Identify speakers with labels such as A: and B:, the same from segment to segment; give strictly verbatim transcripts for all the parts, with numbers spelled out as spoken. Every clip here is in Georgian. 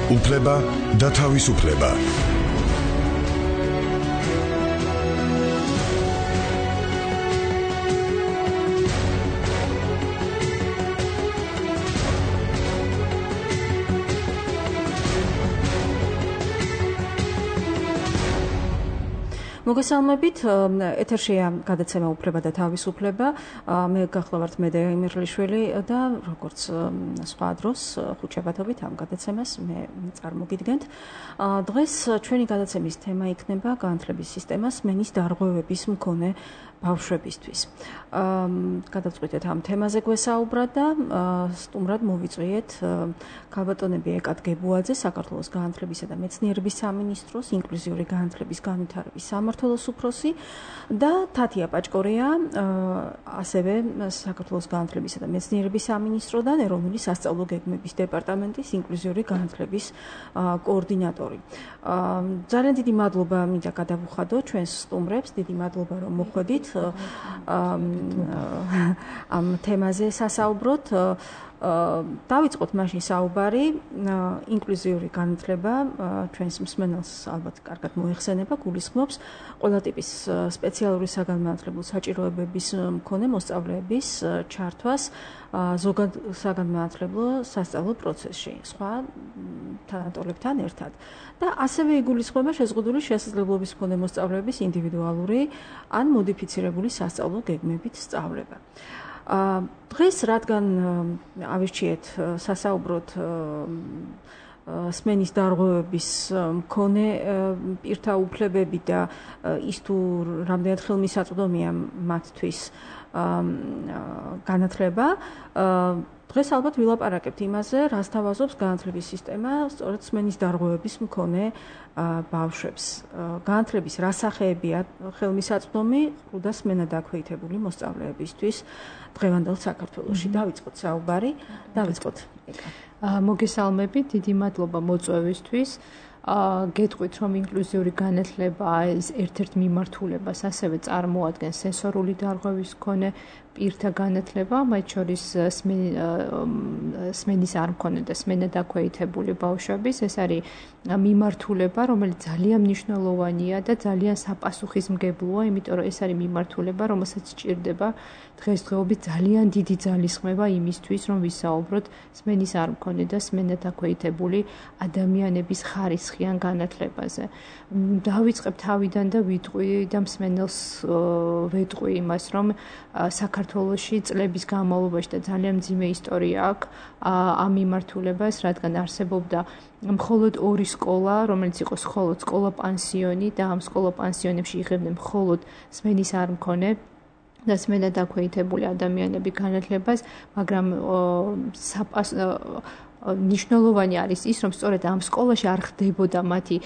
A: უფლება და თავისუფლება.
B: მოგესალმებით, ეთერშია გადაცემა უფლება და თავისუფლება. მე გახლავართ მედეა იმერლიშვილი და როგორც სხვა დროს ხუთშაბათობით ამ გადაცემას მე წარმოგიდგენთ. დღეს ჩვენი გადაცემის თემა იქნება განათლების სისტემას სმენის დარღვევების მქონე ბავშვებისთვის. გადავწყვიტეთ ამ თემაზე გვესაუბრად და სტუმრად მოვიწვიეთ ქალბატონები ეკათ გებუაძე, საქართველოს განათლებისა და მეცნიერების სამინისტროს ინკლუზიური განათლების განვითარების სამმართველოს უფროსი და თათია პაჭკორია, ასევე საქართველოს განათლებისა და მეცნიერების სამინისტროდან ეროვნული სასწავლო გეგმების დეპარტამენტის ინკლუზიური განათლების კოორდინატორი. ძალიან დიდი მადლობა მინდა გადავუხადო ჩვენს სტუმრებს, დიდი მადლობა რომ მოხვედით ამ თემაზე სასაუბროთ. დავიწყოთ მაშინ საუბარი. ინკლუზიური განათლება ჩვენს მსმენელს ალბათ კარგად მოიხსენება, გულისხმობს ყველა ტიპის სპეციალური საგანმანათლებლო საჭიროებების მქონე მოსწავლეების ჩართვას ზოგად საგანმანათლებლო სასწავლო პროცესში, სხვა თანატოლებთან ერთად. და ასევე იგულისხმება შეზღუდული შესაძლებლობის მქონე მოსწავლეების ინდივიდუალური ან მოდიფიცირებული სასწავლო გეგმებით სწავლება. დღეს რადგან ავირჩიეთ სასაუბროთ სმენის დარღვევების მქონე პირთა უფლებები და ის თუ რამდენად ხელმისაწვდომია მათთვის განათლება, დღეს ალბათ ვილაპარაკებთ იმაზე, რას თავაზობს განათლების სისტემა სწორედ სმენის დარღვევების მქონე ბავშვებს. განათლების რა სახეებია ხელმისაწვდომი და სმენა დაქვეითებული მოსწავლეებისთვის დღევანდელ საქართველოში. დავიწყოთ საუბარი, დავიწყოთ.
C: მოგესალმებით, დიდი მადლობა მოწვევისთვის. გეტყვით, რომ ინკლუზიური განათლება ეს ერთ-ერთ მიმართულებას ასევე წარმოადგენს სენსორული დარღვევის მქონე პირთა განათლება, მათ შორის სმენის არ მქონე და სმენა დაქვეითებული ბავშვების. ეს არის მიმართულება, რომელიც ძალიან მნიშვნელოვანია და ძალიან საპასუხისმგებლოა, იმიტომ რომ ეს არის მიმართულება, რომელსაც სჭირდება დღესდღეობით ძალიან დიდი ძალისხმევა იმისთვის, რომ ვისაუბროთ სმენის არ მქონე და სმენა დაქვეითებული ადამიანების ხარისხიან განათლებაზე. დავიწყებ თავიდან და ვიტყვი და მსმენელს ვეტყვი იმას, რომ საქართველოში წლების განმავლობაში და ძალიან მძიმე ისტორია აქვს ამ მიმართულებას, რადგან არსებობდა მხოლოდ ორი სკოლა, რომელიც იყო მხოლოდ სკოლა-პანსიონი და ამ სკოლა-პანსიონებში იღებდნენ მხოლოდ სმენის არ მქონე და სმენა დაქვეითებული ადამიანები განათლებას, მაგრამ ნიშნულოვანი არის ის, რომ სწორედ ამ სკოლაში არ ხდებოდა მათი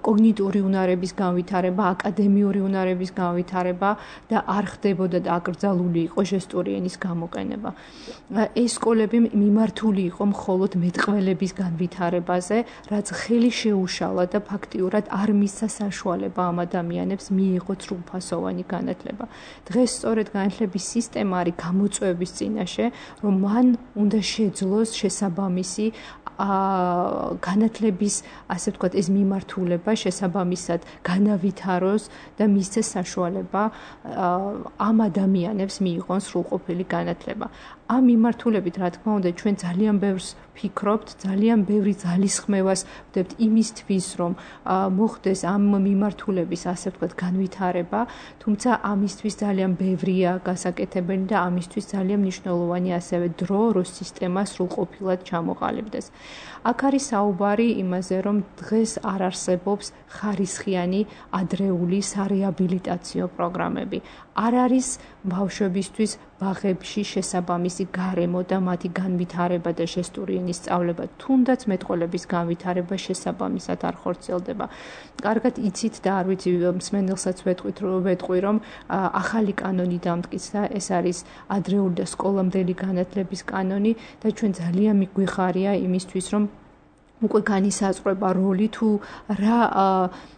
C: კოგნიტური უნარების განვითარება, აკადემიური უნარების განვითარება და არ ხდებოდა და აკრძალული იყო ჟესტური ენის გამოყენება. ეს სკოლები მიმართული იყო მხოლოდ მეტყველების განვითარებაზე, რაც ხელი შეუშალა და ფაქტიურად არ მისცა საშუალება ამ ადამიანებს მიიღოთ სრულფასოვანი განათლება. დღეს სწორედ განათლების სისტემა არის გამოწვევების წინაშე, რომ მან უნდა შეძლოს შესაბამისი მისი განათლების, ასე ვთქვათ, ეს მიმართულება შესაბამისად განავითაროს და მისცეს საშუალება ამ ადამიანებს მიიღონ სრულყოფილი განათლება. ამ მიმართულებით, რა თქმა უნდა, ჩვენ ძალიან ბევრს ფიქრობთ, ძალიან ბევრი ძალისხმევას ვდებთ იმისთვის, რომ მოხდეს ამ მიმართულების, ასე ვთქვათ, განვითარება, თუმცა ამისთვის ძალიან ბევრია გასაკეთებელი და ამისთვის ძალიან მნიშვნელოვანი ასევე დრო, რომ სისტემა სრულყოფილად ჩამოყალიბდეს. აქ არის საუბარი იმაზე, რომ დღეს არ არსებობს ხარისხიანი ადრეული სარეაბილიტაციო პროგრამები. არ არის ბავშვებისთვის ბაღებში შესაბამისი გარემო და მათი განვითარება და ჟესტური ენის სწავლება, თუნდაც მეტყველების განვითარება შესაბამისად არ ხორციელდება. კარგად იცით და არ ვიცი, მსმენელსაც ვეტყვით, ვეტყვი, რომ ახალი კანონი დამტკიცა, ეს არის ადრეული და სკოლამდელი განათლების კანონი და ჩვენ ძალიან მიგვიხარია იმისთვის, რომ უკვე განისაზღვრება როლი თუ რა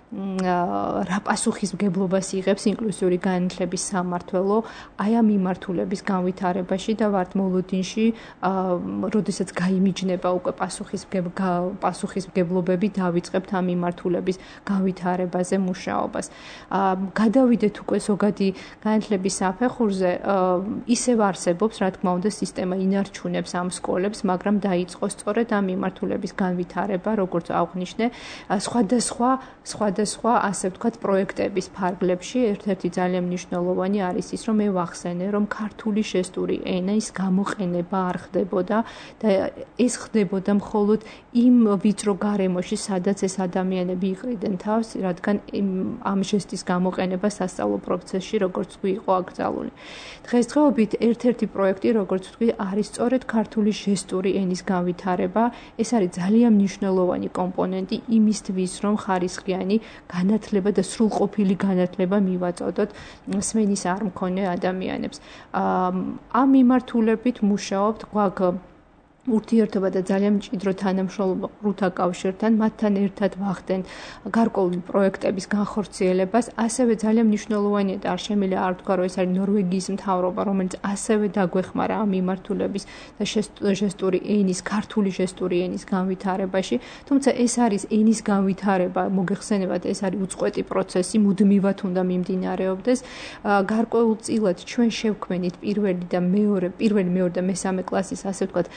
C: რა პასუხისმგებლობას იღებს ინკლუზიური განათლების სამმართველო აი ამ მიმართულების განვითარებაში და ვართ მოლოდინში, როდესაც გაიმიჯნება უკვე პასუხისმგებლობები დავიწყებთ ამ მიმართულების განვითარებაზე მუშაობას. გადავიდეთ უკვე ზოგადი განათლების საფეხურზე, ისევ არსებობს, რა თქმა უნდა, სისტემა ინარჩუნებს ამ სკოლებს, მაგრამ დაიწყო სწორედ ამ მიმართულების განვითარება, როგორც აღვნიშნე, სხვადასხვა სხვადასხვა, ასე ვთქვათ, პროექტების ფარგლებში. ერთ-ერთი ძალიან მნიშვნელოვანი არის ის, რომ მე ვახსენე, რომ ქართული ჟესტური ენის გამოყენება არ ხდებოდა და ეს ხდებოდა მხოლოდ იმ ვიწრო გარემოში, სადაც ეს ადამიანები იყრიდნენ თავს, რადგან ამ ჟესტის გამოყენება სასწავლო პროცესში, როგორც თქვი, იყო აკრძალული. დღესდღეობით ერთ-ერთი პროექტი, როგორც თქვი, არის სწორედ ქართული ჟესტური ენის განვითარება. ეს არის ძალიან მნიშვნელოვანი კომპონენტი იმისთვის, რომ ხარისხიანი განათლება და სრულყოფილი განათლება მივაწოდოთ სმენის არ მქონე ადამიანებს. ამ მიმართულებით მუშაობთ გვაქვს ურთიერთობა და ძალიან მჭიდრო თანამშრომლობა ყრუთა კავშირთან, მათთან ერთად ვახდენ გარკვეული პროექტების განხორციელებას. ასევე ძალიან მნიშვნელოვანია და არ შემიძლია არ ვთქვა, რომ ეს არის ნორვეგიის მთავრობა, რომელიც ასევე დაგვეხმარა ამ მიმართულების და ჟესტური ენის, ქართული ჟესტური ენის განვითარებაში. თუმცა ეს არის ენის განვითარება, მოგეხსენებათ, ეს არის უწყვეტი პროცესი, მუდმივად უნდა მიმდინარეობდეს. გარკვეულწილად ჩვენ შევქმნით პირველი და მეორე, პირველი, მეორე და მესამე კლასის, ასე ვთქვათ,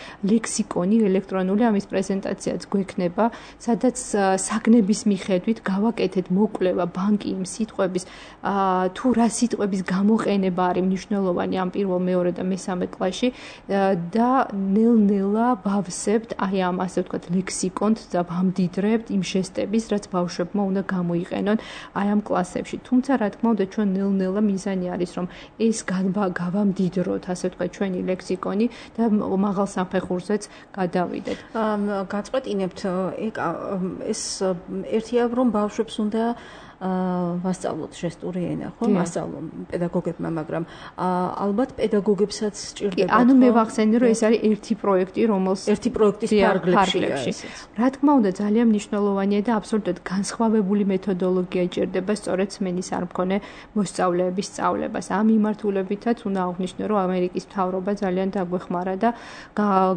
C: ლექსიკონი ელექტრონული, ამის პრეზენტაციაც გვექნება, სადაც საგნების მიხედვით გავაკეთეთ მოკვლევა ბანკი იმ სიტყვების, თუ რა სიტყვების გამოყენება არის მნიშვნელოვანი ამ პირველ, მეორე და მესამე კლასში და ნელ-ნელა ვავსებთ აი ამ, ასე ვთქვათ, ლექსიკონს და ვამდიდრებთ იმ ჟესტების, რაც ბავშვებმა უნდა გამოიყენონ აი ამ კლასებში. თუმცა, რა თქმა უნდა, ჩვენ ნელ-ნელა მიზანი არის, რომ ეს გავამდიდროთ, ასე ვთქვათ, ჩვენი ლექსიკონი და მაღალ საფეხურზე გადავიდეთ.
B: გაწყვეტინებთ ეს ერთია, რომ ბავშვებს უნდა ვასწავლოთ ჟესტური ენა, ხო? მასწავლონ პედაგოგებმა, მაგრამ ალბათ პედაგოგებსაც სჭირდება.
C: ანუ მე ვახსენე, რომ ეს არის ერთი პროექტი, რომელს
B: ერთი პროექტის ფარგლებში.
C: რა თქმა უნდა, ძალიან მნიშვნელოვანია და აბსოლუტურად განსხვავებული მეთოდოლოგია ჭირდება სწორედ სმენის არ მქონე მოსწავლეების სწავლებას. ამ მიმართულებითაც უნდა აღვნიშნო, რომ ამერიკის მთავრობა ძალიან დაგვეხმარა და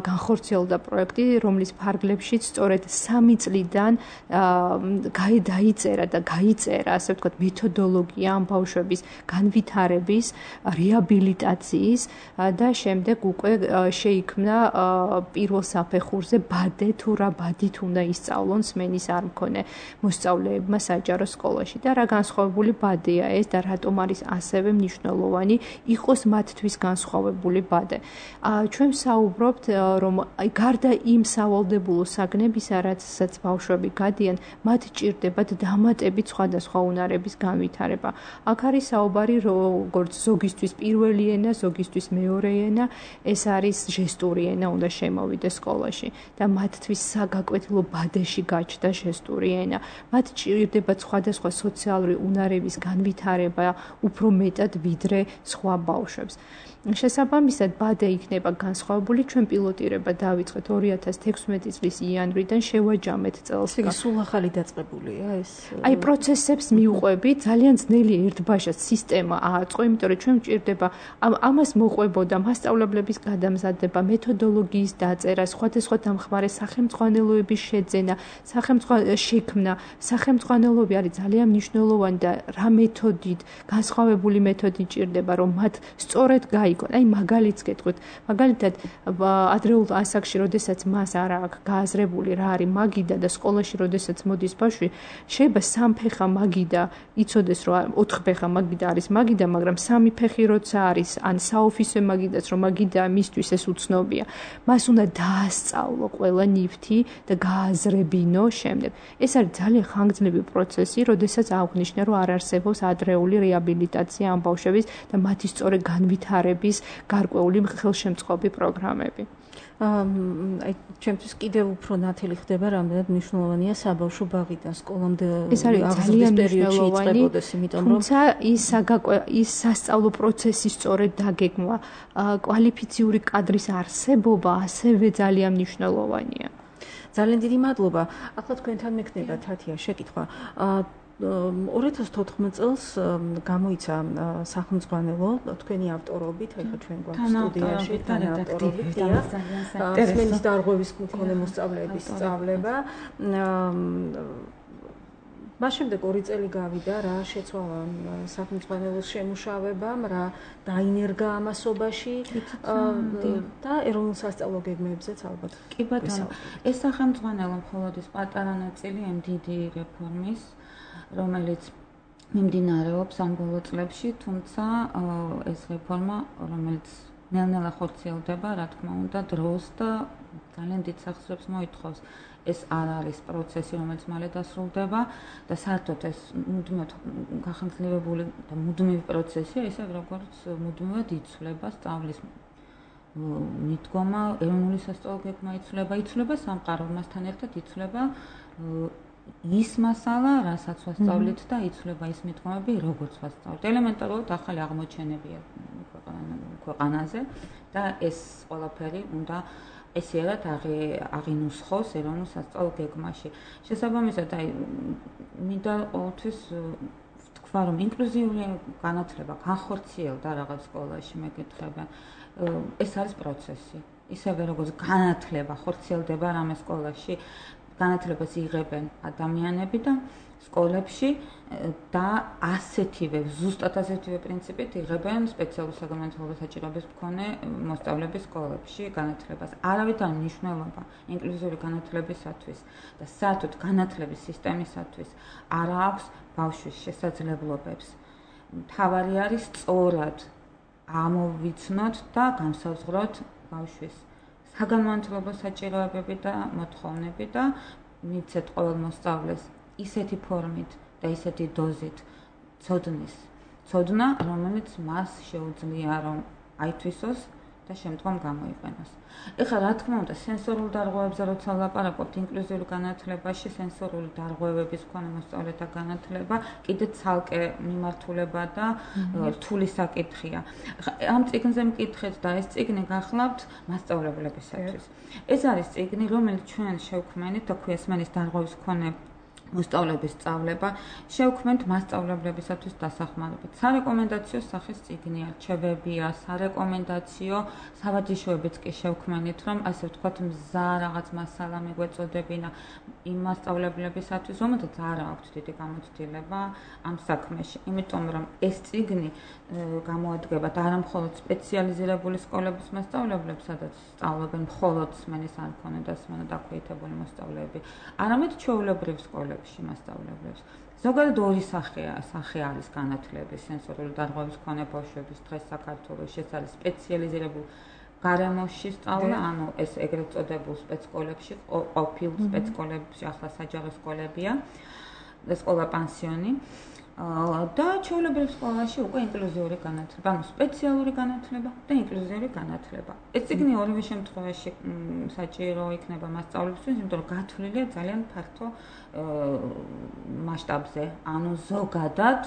C: განხორციელდა პროექტი, რომლის ფარგლებშიც სწორედ სამი წლიდან დაიწერა და გაიწერა ასე ვთქვათ, მეთოდოლოგია ამ ბავშვების განვითარების, რეაბილიტაციის და შემდეგ უკვე შეიქმნა პირველ საფეხურზე ბადე თუ რა ბადით უნდა ისწავლონ სმენის არ მქონე მოსწავლეებმა საჯარო სკოლაში და რა განსხვავებული ბადეა ეს და რატომ არის ასევე მნიშვნელოვანი იყოს მათთვის განსხვავებული ბადე. ჩვენ საუბრობთ, რომ გარდა იმ სავალდებულო საგნებისა, რაცაც ბავშვები გადიან, მათ ჭირდებათ დამატებით სხვადასხვა უნარების განვითარება. აქ არის საუბარი, როგორც ზოგისთვის პირველი ენა, ზოგისთვის მეორე ენა, ეს არის ჟესტური ენა უნდა შემოვიდეს სკოლაში და მათთვის საგაკვეთილო ბადეში გაჩნდა ჟესტური ენა. მათ ჭირდებათ სხვადასხვა სოციალური უნარების განვითარება უფრო მეტად ვიდრე სხვა ბავშვებს. შესაბამისად, ბადე იქნება განსხვავებული, ჩვენ პილოტირება დავიწყეთ ორი ათას თექვსმეტი წლის იანვრიდან, შევაჯამეთ წელს.
B: სულ ახალი დაწყებულია ეს?
C: აი პროცესებს მიუყვები, ძალიან ძნელი ერთბაშად სისტემა ააწყო, იმიტომ რომ ჩვენ გვჭირდება ამას მოყვებოდა მასწავლებლების გადამზადება, მეთოდოლოგიის დაწერა, სხვადასხვა დამხმარე სახელმძღვანელოების შეძენა, სახელმძღვანელოების შექმნა. სახელმძღვანელოები არის ძალიან მნიშვნელოვანი და რა მეთოდით, განსხვავებული მეთოდი ჭირდება, რომ მათ სწორედ გაიგონ. აი მაგალითს გეტყვით, მაგალითად ადრეულ ასაკში, როდესაც მას არ აქვს გააზრებული რა არის მაგიდა და სკოლაში როდესაც მოდის ბავშვი, შეიძლება სამფეხა მაგიდა იცოდეს, რომ ოთხფეხა მაგიდა არის მაგიდა, მაგრამ სამი ფეხი როცა არის, ან საოფისე მაგიდაც რომ მაგიდა მისთვის ეს უცნობია. მას უნდა დაასწავლო ყველა ნივთი და გააზრებინო შემდეგ. ეს არის ძალიან ხანგრძლივი პროცესი, როდესაც აღვნიშნე, რომ არ არსებობს ადრეული რეაბილიტაცია ამ ბავშვების და მათი სწორი განვითარების გარკვეული ხელშემწყობი პროგრამები.
B: აი ჩემთვის კიდევ უფრო ნათელი ხდება, რამდენად მნიშვნელოვანია საბავშვო ბაღიდან სკოლამდე
C: ეს არის ძალიან
B: მნიშვნელოვანი,
C: თუმცა ის ის სასწავლო პროცესის სწორედ დაგეგმვა, კვალიფიციური კადრის არსებობა ასევე ძალიან მნიშვნელოვანია.
B: ძალიან დიდი მადლობა. ახლა თქვენთან მექნება თათია შეკითხვა. ორი ათას თოთხმეტ წელს გამოიცა სახელმძღვანელო თქვენი ავტორობით, ეხლა ჩვენ გვაქვს სტუდიაში თან ავტორობით სმენის დარღვევის მქონე მოსწავლეების სწავლება. მას შემდეგ ორი წელი გავიდა, რა შეცვალა სახელმძღვანელოს შემუშავებამ, რა დაინერგა ამასობაში და ეროვნულ სასწავლო გეგმებზეც ალბათ.
D: კი ბატონო, ეს სახელმძღვანელო მხოლოდ ის პატარა ნაწილი ამ დიდი რეფორმის, რომელიც მიმდინარეობს ამ ბოლო წლებში, თუმცა ეს რეფორმა, რომელიც ნელ-ნელა ხორციელდება, რა თქმა უნდა, დროს და ძალიან დიდ სახსრებს მოითხოვს. ეს არ არის პროცესი, რომელიც მალე დასრულდება და საერთოდ ეს მუდმივად გახანგრძლივებული და მუდმივი პროცესია, ისე როგორც მუდმივად იცვლება სწავლის მიდგომა, ეროვნული სასწავლო გეგმა იცვლება, იცვლება სამყარო, მასთან ერთად იცვლება ის მასალა, რასაც ვასწავლით და იცვლება ის მიდგომები, როგორც ვასწავლით. ელემენტარულად ახალი აღმოჩენებია ქვეყანაზე და ეს ყველაფერი უნდა ესერად აღინუსხოს ეროვნულ სასწავლო გეგმაში. შესაბამისად, აი მინდა ყოველთვის ვთქვა, რომ ინკლუზიური განათლება განხორციელდა რაღაც სკოლაში, მეკითხებიან. ეს არის პროცესი. ისევე როგორც განათლება ხორციელდება რამე სკოლაში, განათლებას იღებენ ადამიანები და სკოლებში და ასეთივე, ზუსტად ასეთივე პრინციპით იღებენ სპეციალურ საგანმანათლებლო საჭიროების მქონე მოსწავლეები სკოლებში განათლებას. არავით არ მნიშვნელობა ინკლუზიური განათლებისათვის და საერთოდ განათლების სისტემისათვის არ აქვს ბავშვის შესაძლებლობებს. მთავარი არის სწორად ამოვიცნოთ და განსაზღვროთ ბავშვის საგანმანათლებლო საჭიროებები და მოთხოვნები და მიცეთ ყოველ მოსწავლეს ისეთი ფორმით და ისეთი დოზით ცოდნის ცოდნა, რომელიც მას შეუძლია რომ აითვისოს და შემდგომ გამოიყენოს. ეხლა რა თქმა უნდა, სენსორულ დარღვევებზე როცა ვლაპარაკობთ ინკლუზიურ განათლებაში, სენსორული დარღვევების მქონე მოსწავლეთა განათლება კიდე ცალკე მიმართულება და რთული საკითხია. ამ წიგნზე მკითხეთ და ეს წიგნი გახლავთ მასწავლებლებისათვის. ეს არის წიგნი, რომელიც ჩვენ შევქმნით და ქვია სმენის დარღვევის მქონე მოსწავლეების სწავლება, შევქმნით მასწავლებლებისათვის დასახმარებით. სარეკომენდაციო სახის წიგნი არჩევებია, სარეკომენდაციო სავაჯიშოებიც კი შევქმნით, რომ ასე ვთქვათ, მზა რაღაც მასალა მიგვეწოდებინა იმ მასწავლებლებისათვის, რომელთაც არ აქვთ დიდი გამოცდილება ამ საქმეში. იმიტომ რომ ეს წიგნი გამოადგება და არა მხოლოდ სპეციალიზირებული სკოლების მასწავლებლებს, სადაც სწავლობენ მხოლოდ სმენის არ მქონე და სმენა დაქვეითებული მოსწავლეები, არამედ ჩვეულებრივ სკოლებში მასწავლებლებს. ზოგადად ორი სახეა, სახე არის განათლების, სენსორული დარღვევის მქონე ბავშვების დღეს საქართველოში, ეს არის სპეციალიზირებული გარემოში სწავლა, ანუ ეს ეგრეთ წოდებულ სპეცსკოლებში, ყოფილ სპეცსკოლებში, ახლა საჯარო სკოლებია და სკოლა პანსიონი. და ჩვეულებრივ სკოლაში უკვე ინკლუზიური განათლება, ანუ სპეციალური განათლება და ინკლუზიური განათლება. ეს წიგნი ორივე შემთხვევაში საჭირო იქნება მასწავლებისთვის, იმიტომ რომ გათვლილია ძალიან ფართო მასშტაბზე, ანუ ზოგადად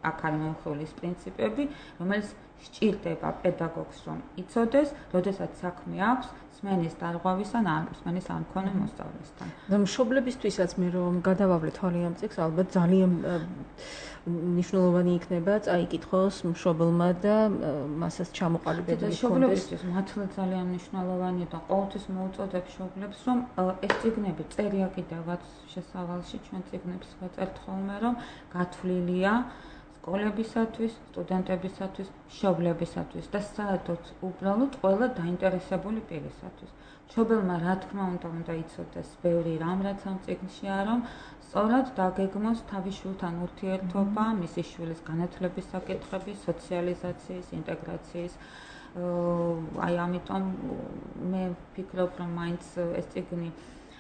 D: აქ არის მომხმული ის პრინციპები, რომელიც სჭირდება პედაგოგს რომ იცოდეს, როდესაც საქმე აქვს სმენის დარღვევის ან სმენის არ მქონე მოსწავლესთან.
B: და მშობლებისთვისაც მე რომ გადავავლე თვალე ამ წიგნს, ალბათ ძალიან მნიშვნელოვანი იქნება წაიკითხოს მშობელმა და მასაც ჩამოყალიბებული
D: იქონდეს. მშობლებისთვის მართლა ძალიან მნიშვნელოვანია და ყოველთვის მოუწოდებ მშობლებს, რომ ეს წიგნები წერია კიდევაც შესავალში, ჩვენ წიგნებს ვაწერთ ხოლმე, რომ გათვლილია სკოლებისათვის, სტუდენტებისათვის, მშობლებისათვის და საერთოდ უბრალოდ ყველა დაინტერესებული პირისათვის. მშობელმა რა თქმა უნდა უნდა იცოდეს ბევრი რამ, რაც ამ წიგნშია, რომ სწორად დაგეგმოს თავის შვილთან ურთიერთობა, მისი შვილის განათლების საკითხები, სოციალიზაციის, ინტეგრაციის. აი ამიტომ მე ვფიქრობ, რომ მაინც ეს წიგნი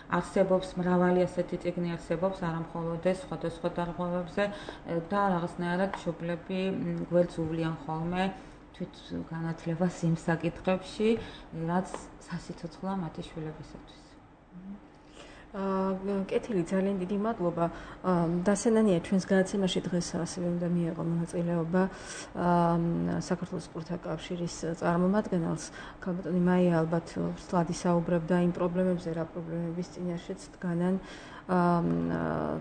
D: არსებობს, მრავალი ასეთი წიგნი არსებობს, არა მხოლოდ ეს სხვადასხვა დარღვევებზე და რაღაცნაირად მშობლები გვერდს უვლიან ხოლმე თვით განათლებას იმ საკითხებში, რაც სასიცოცხლოა მათი შვილებისათვის.
B: კეთილი, ძალიან დიდი მადლობა. დასენანია ჩვენს გადაცემაში დღეს ასევე უნდა მიეღო მონაწილეობა საქართველოს სპორტთა კავშირის წარმომადგენელს. ქალბატონი მაია ალბათ სლადი საუბრებდა იმ პრობლემებზე, რა პრობლემების წინაშეც დგანან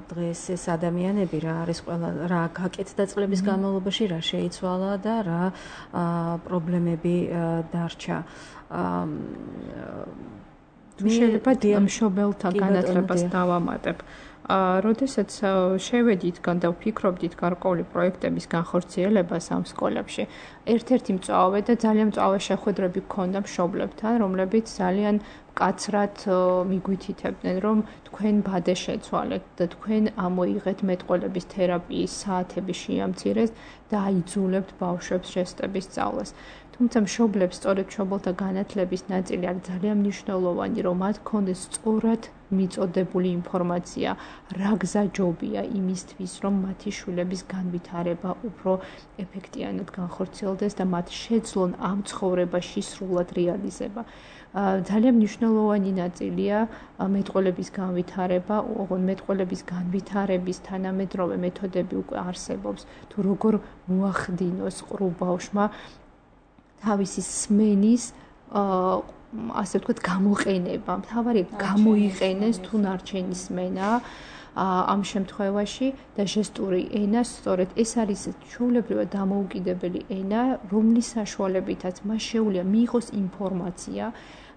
B: დღეს ეს ადამიანები, რა არის ყველა რა გაკეთდა წლების განმავლობაში, რა შეიცვალა და რა პრობლემები დარჩა.
C: თუ შეიძლება მშობელთა განათლებას დავამატებ. როდესაც შევედით და ვფიქრობდით გარკვეული პროექტების განხორციელებას ამ სკოლებში, ერთ-ერთი მწვავე და ძალიან მწვავე შეხვედრები გქონდა მშობლებთან, რომლებიც ძალიან მკაცრად მიგვითითებდნენ, რომ თქვენ ბადე შეცვალეთ და თქვენ ამოიღეთ მეტყველების თერაპიის საათები შეამცირეს და აიძულებთ ბავშვებს შეესწრების სწავლას. თუმცა მშობლებს სწორედ მშობელთა განათლების ნაწილი არის ძალიან მნიშვნელოვანი, რომ მათ გქონდეს სწორად მიწოდებული ინფორმაცია, რა გზა ჯობია იმისთვის, რომ მათი შვილების განვითარება უფრო ეფექტიანად განხორციელდეს და მათ შეძლონ ამ ცხოვრებაში სრულად რეალიზება. ძალიან მნიშვნელოვანი ნაწილია მეტყველების განვითარება, ოღონდ მეტყველების განვითარების თანამედროვე მეთოდები უკვე არსებობს, თუ როგორ მოახდინოს ყრუ ბავშვმა თავისი სმენის ასე ვთქვათ გამოყენება. მთავარია გამოიყენეს თუ ნარჩენი სმენა ამ შემთხვევაში და ჟესტური ენა, სწორედ ეს არის ჩვეულებრივად დამოუკიდებელი ენა, რომლის საშუალებითაც მას შეუძლია მიიღოს ინფორმაცია,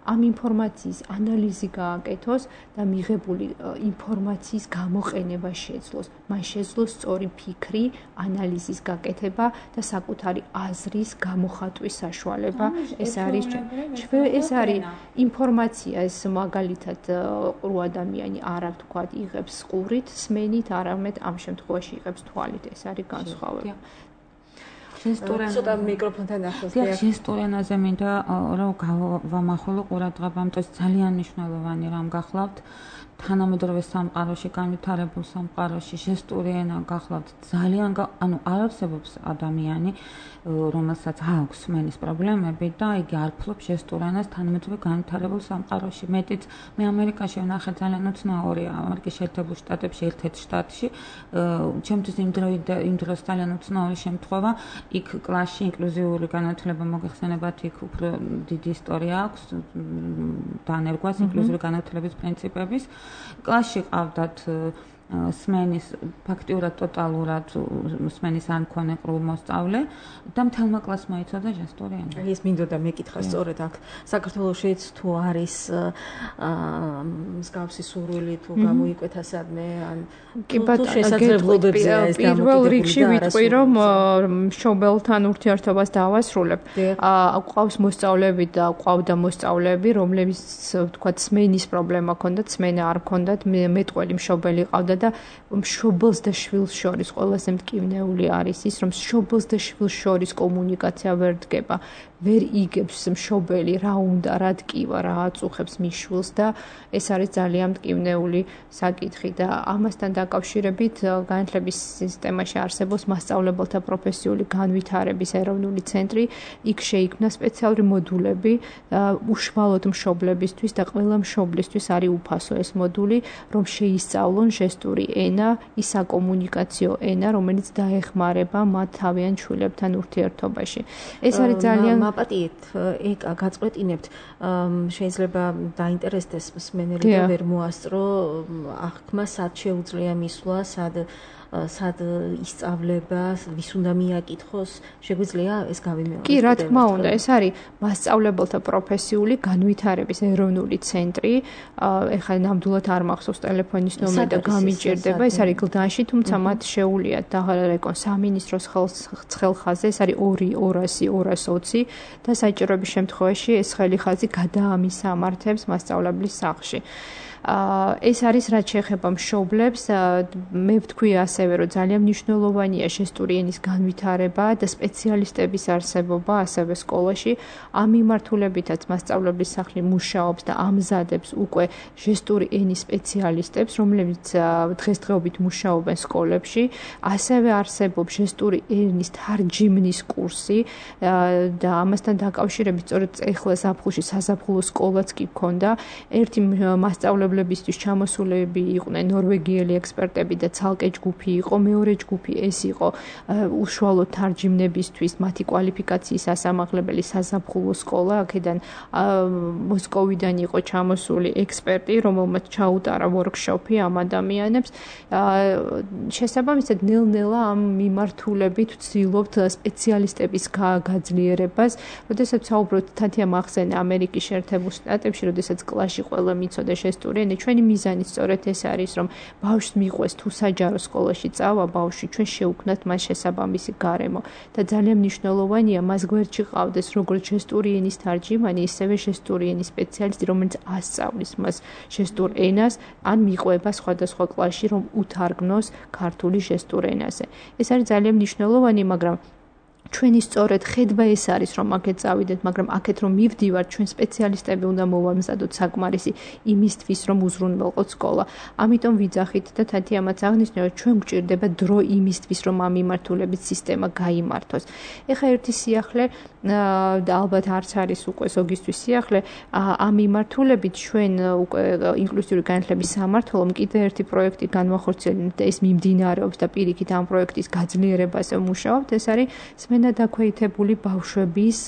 C: ამ ინფორმაციის ანალიზი გააკეთოს და მიღებული ინფორმაციის გამოყენება შეძლოს. მან შეძლოს სწორი ფიქრი, ანალიზის გაკეთება და საკუთარი აზრის გამოხატვის საშუალება. ეს არის ეს არის ინფორმაცია, ეს მაგალითად ყრუ ადამიანი არ აქვს თქვა იღებს ყურით, სმენით, არამედ ამ შემთხვევაში იღებს თვალით. ეს არის განსხვავება.
B: ცოტა მიკროფონთან ახლოს
D: დიახ, ჟესტურენაზე მინდა რომ გავამახვილო ყურადღება, ამიტომ ძალიან მნიშვნელოვანი რამ გახლავთ თანამედროვე სამყაროში, განვითარებულ სამყაროში ჟესტური ენა გახლავთ ძალიან ანუ არ არსებობს ადამიანი, რომელსაც აქვს სმენის პრობლემები და იგი არ ფლობს ჟესტურ ენას თანამედროვე განვითარებულ სამყაროში. მეტიც მე ამერიკაში ვნახე ძალიან უცნაურია, ამერიკის შეერთებულ შტატებში, ერთ-ერთ შტატში, ჩემთვის იმ იმ დროს ძალიან უცნაური შემთხვევა, იქ კლასში ინკლუზიური განათლება მოგეხსენებათ, იქ უფრო დიდი ისტორია აქვს დანერგვას ინკლუზიური განათლების პრინციპების. კლასში ყავდათ სმენის ფაქტიურად ტოტალურად სმენის არ მქონე ყრუ მოსწავლე და მთელმა კლასმა იცოდა ჟესტური ენა.
B: ეს მინდოდა მეკითხა სწორედ აქ საქართველოშიც თუ არის მსგავსი სურვილი თუ გამოიკვეთა სადმე ან
C: კი ბატონო, პირველ რიგში ვიტყვი რომ მშობელთან ურთიერთობას დავასრულებ. ყავს მოსწავლეები და ყავდა მოსწავლეები, რომლებიც თქვა სმენის პრობლემა ჰქონდათ, სმენა არ ჰქონდათ, მეტყველი მშობელი ყავდა და მშობელს და შვილს შორის ყველაზე მტკივნეული არის ის, რომ მშობელს და შვილს შორის კომუნიკაცია ვერ დგება. ვერ იგებს მშობელი რა უნდა, რა დგივა, რა აწუხებს მის შვილს და ეს არის ძალიან მტკივნეული საკითხი და ამასთან დაკავშირებით განათლების სისტემაში არსებობს მასწავლებელთა პროფესიული განვითარების ეროვნული ცენტრი. იქ შეიქმნა სპეციალური მოდულები უშუალოდ მშობლებისთვის და ყველა მშობლისთვის არის უფასო ეს მოდული, რომ შეისწავლონ ჟესტური ენა, ის საკომუნიკაციო ენა, რომელიც დაეხმარება მათ თავიანთ შვილებთან ურთიერთობაში. ეს არის ძალიან
B: აპატიეთ ეკა გაწყვეტინებთ, შეიძლება დაინტერესდეს მსმენელი და ვერ მოასწრო აღქმა, სად შეუძლია მისვლა, სად სად ისწავლება, ვის უნდა მიაკითხოს, შეგვიძლია ეს გავიმეოროთ?
C: კი, რა თქმა უნდა, ეს არის მასწავლებელთა პროფესიული განვითარების ეროვნული ცენტრი. ეხლა ნამდვილად არ მახსოვს ტელეფონის ნომერი და გამიჭირდება, ეს არის გლდანში, თუმცა მათ შეუულიათ დაღალერეკონ სამინისტროს ხელხაზე, ეს არის ორი ორასი ორას ოცი და საჭიროების შემთხვევაში ეს ხელიხაზი გადაამისამართებს მასწავლებლის სახლში. ეს არის რაც შეეხება მშობლებს, მე ვთქვი ასევე, რომ ძალიან მნიშვნელოვანია ჟესტური ენის განვითარება და სპეციალისტების არსებობა ასევე სკოლაში. ამ მიმართულებითაც მასწავლებლის სახლი მუშაობს და ამზადებს უკვე ჟესტური ენის სპეციალისტებს, რომლებიც დღესდღეობით მუშაობენ სკოლებში. ასევე არსებობს ჟესტური ენის თარჯიმნის კურსი და ამასთან დაკავშირებით სწორედ ეხლა ზაფხულში საზაფხულო სკოლაც კი გქონდა. ერთი მასწავლებელი მასწავლებლებისთვის ჩამოსულები იყვნენ ნორვეგიელი ექსპერტები და ცალკე ჯგუფი იყო, მეორე ჯგუფი ეს იყო უშუალო თარჯიმნებისთვის მათი კვალიფიკაციის ასამაღლებელი საზაფხულო სკოლა, აქედან მოსკოვიდან იყო ჩამოსული ექსპერტი, რომელმაც ჩაუტარა ვორქშოპი ამ ადამიანებს. შესაბამისად, ნელ-ნელა ამ მიმართულებით ვცდილობთ სპეციალისტების გაძლიერებას. როდესაც საუბრობთ თათია მახსენე ამერიკის შეერთებულ შტატებში, როდესაც კლასში ყველა მიცოდა შესტურიანი, ჩვენი მიზანი სწორედ ეს არის, რომ ბავშვს მიყვეს თუ საჯარო სკოლაში წავა ბავშვი, ჩვენ შევქმნათ მას შესაბამისი გარემო და ძალიან მნიშვნელოვანია მას გვერდში ყავდეს როგორც შესტურიანის თარჯიმანი, ისევე შესტურიანის სპეციალისტი, რომელიც ასწავლის მას შესტურ ენას, ან მიყვება სხვადასხვა კლასში, რომ უთარგმნოს ქართული შესტურ ენაზე. ეს არის ძალიან მნიშვნელოვანი, მაგრამ ჩვენი სწორედ ხედვა ეს არის, რომ აქეთ წავიდეთ, მაგრამ აქეთ რომ მივდივართ, ჩვენ სპეციალისტები უნდა მოვამზადოთ საკმარისი იმისთვის, რომ უზრუნველყოთ სკოლა. ამიტომ ვიძახით და თათიამაც აღნიშნა, რომ ჩვენ გვჭირდება დრო იმისთვის, რომ ამ მიმართულებით სისტემა გაიმართოს. ეხლა ერთი სიახლე და ალბათ არც არის უკვე ზოგისთვის სიახლე, ამ მიმართულებით ჩვენ უკვე ინკლუზიური განათლების სამმართველომ კიდე ერთი პროექტი განვახორციელებთ და ეს მიმდინარეობს და პირიქით ამ პროექტის გაძლიერებაზე ვმუშაობთ, ეს არის სმენადაქვეითებული ბავშვების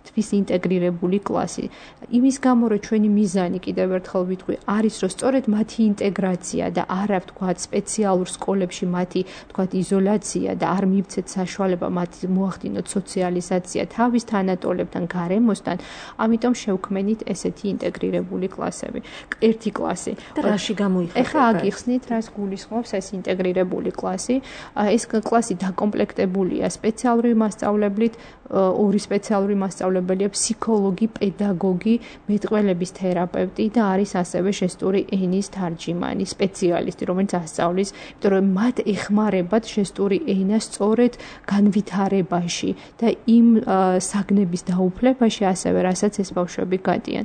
C: თვის ინტეგრირებული კლასი. იმის გამო, რომ ჩვენი მიზანი, კიდევ ერთხელ ვიტყვი, არის, რომ სწორედ მათი ინტეგრაცია და არა ვთქვათ სპეციალურ სკოლებში მათი ვთქვათ იზოლაცია და არ მივცეთ საშუალება მათი მოახდინოთ სოციალიზაცია თავის თანატოლებთან, გარემოსთან, ამიტომ შევქმნით ესეთი ინტეგრირებული კლასები. ერთი კლასი.
B: და რაში გამოიხატება?
C: ეხლა აგიხსნით, რას გულისხმობს ეს ინტეგრირებული კლასი. ეს კლასი დაკომპლექტებულია სპეციალური მასწავლებლით, ორი სპეციალური მასწავლებელია, ფსიქოლოგი, პედაგოგი, მეტყველების თერაპევტი და არის ასევე ჟესტური ენის თარჯიმანი, სპეციალისტი, რომელიც ასწავლის, იმიტომ რომ მათ ეხმარებათ ჟესტური ენა სწორედ განვითარებაში და იმ საგნების დაუფლებაში, ასევე რასაც ეს ბავშვები გადიან.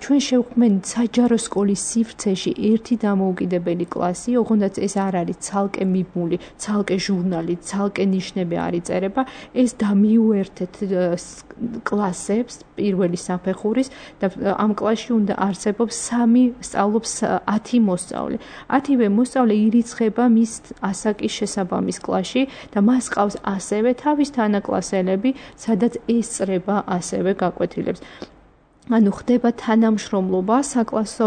C: ჩვენ შევქმნით საჯარო სკოლის სივრცეში ერთი დამოუკიდებელი კლასი, ოღონდაც ეს არ არის ცალკე მიბმული, ცალკე ჟურნალი, ცალკე ნიშნები არ იწერება, ეს დამიუერთეთ კლასებს პირველი საფეხურის და ამ კლასში უნდა არსებობს სამი, სწავლობს ათი მოსწავლე. ათივე მოსწავლე ირიცხება მის ასაკის შესაბამის კლასში და მას ყავს ასევე თავის თანაკლასელები, სადაც ესწრება ასევე გაკვეთილებს. ანუ ხდება თანამშრომლობა საკლასო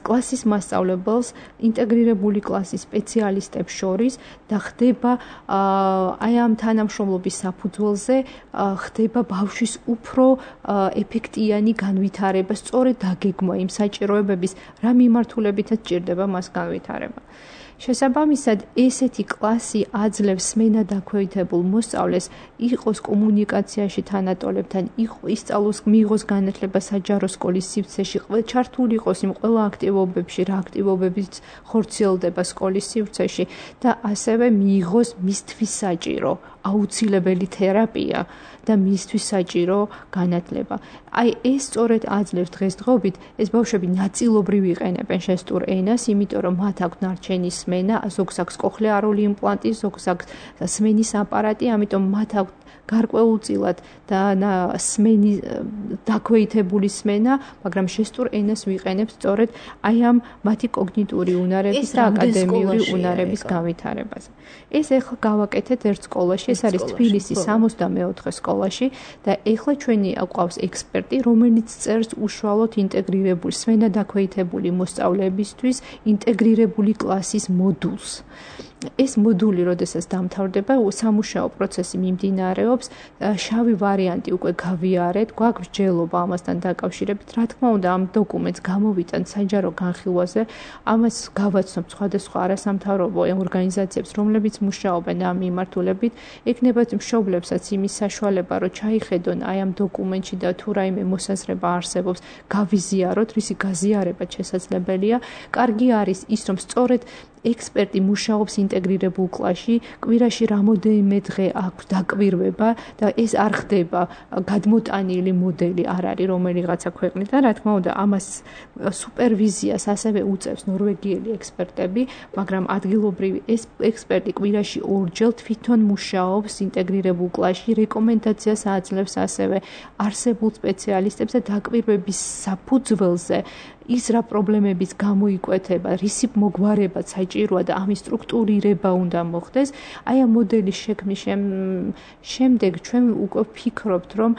C: კლასის მასწავლებელს ინტეგრირებული კლასის სპეციალისტებს შორის და ხდება აი ამ თანამშრომლობის საფუძველზე ხდება ბავშვის უფრო ეფექტიანი განვითარება, სწორედ დაგეგმვა იმ საჭიროებების, რა მიმართულებითაც ჭირდება მას განვითარება. შესაბამისად, ესეთი კლასი აძლევს სმენადაქვეითებულ მოსწავლეს იყოს კომუნიკაციაში თანატოლებთან, ისწავლოს, მიიღოს განათლება საჯარო სკოლის სივრცეში, ჩართული იყოს იმ ყველა აქტივობებში, რა აქტივობებიც ხორციელდება სკოლის სივრცეში და ასევე მიიღოს მისთვის საჭირო, აუცილებელი თერაპია და მისთვის საჭირო განათლება. აი ეს სწორედ აძლევს დღესდღეობით, ეს ბავშვები ნაწილობრივ იყენებენ ჟესტურ ენას, იმიტომ რომ მათ აქვს ნარჩენი სმენა, ზოგს აქვს კოხლეარული იმპლანტი, ზოგს აქვს სმენის აპარატი, ამიტომ მათ აქვს გარკვეულწილად და სმენი დაქვეითებული სმენა, მაგრამ ჟესტურ ენას ვიყენებ სწორედ აი ამ მათი კოგნიტური უნარების და აკადემიური უნარების განვითარებაზე. ეს ეხლა გავაკეთეთ ერთ სკოლაში, ეს არის თბილისის სამოცდამეოთხე სკოლაში და ეხლა ჩვენი ყავს ექსპერტი, რომელიც წერს უშუალოდ ინტეგრირებული სმენადაქვეითებული მოსწავლეებისთვის ინტეგრირებული კლასის მოდულს. ეს მოდული, როდესაც დამთავრდება, სამუშაო პროცესი მიმდინარეობს, შავი ვარიანტი უკვე გავიარეთ, გვაქვს მსჯელობა ამასთან დაკავშირებით. რა თქმა უნდა, ამ დოკუმენტს გამოვიტანთ საჯარო განხილვაზე, ამას გავაცნობთ სხვადასხვა არასამთავრობო ორგანიზაციებს, რომლებიც მუშაობენ ამ მიმართულებით, ეკნებათ მშობლებსაც იმის საშუალება, რომ ჩაიხედონ აი ამ დოკუმენტში და თუ რაიმე მოსაზრება არსებობს, გავიზიაროთ, რისი გაზიარებაც შესაძლებელია. კარგი არის ის, რომ სწორედ ექსპერტი მუშაობს ინტეგრირებულ კლასში, კვირაში რამოდენიმე დღე აქვს დაკვირვება და ეს არ ხდება გადმოტანილი მოდელი არ არის რომელიღაცა ქვეყნიდან, რა თქმა უნდა, ამას სუპერვიზიას ასევე უწევს ნორვეგიელი ექსპერტები, მაგრამ ადგილობრივი ეს ექსპერტი კვირაში ორჯერ თვითონ მუშაობს ინტეგრირებულ კლასში, რეკომენდაციას აძლევს ასევე არსებულ სპეციალისტებს და დაკვირვების საფუძველზე ის რა პრობლემების გამოიკვეთება, რისი მოგვარება საჭიროა და ამის სტრუქტურირება უნდა მოხდეს, აი ამ მოდელის შექმნის შემდეგ ჩვენ უკვე ვფიქრობთ, რომ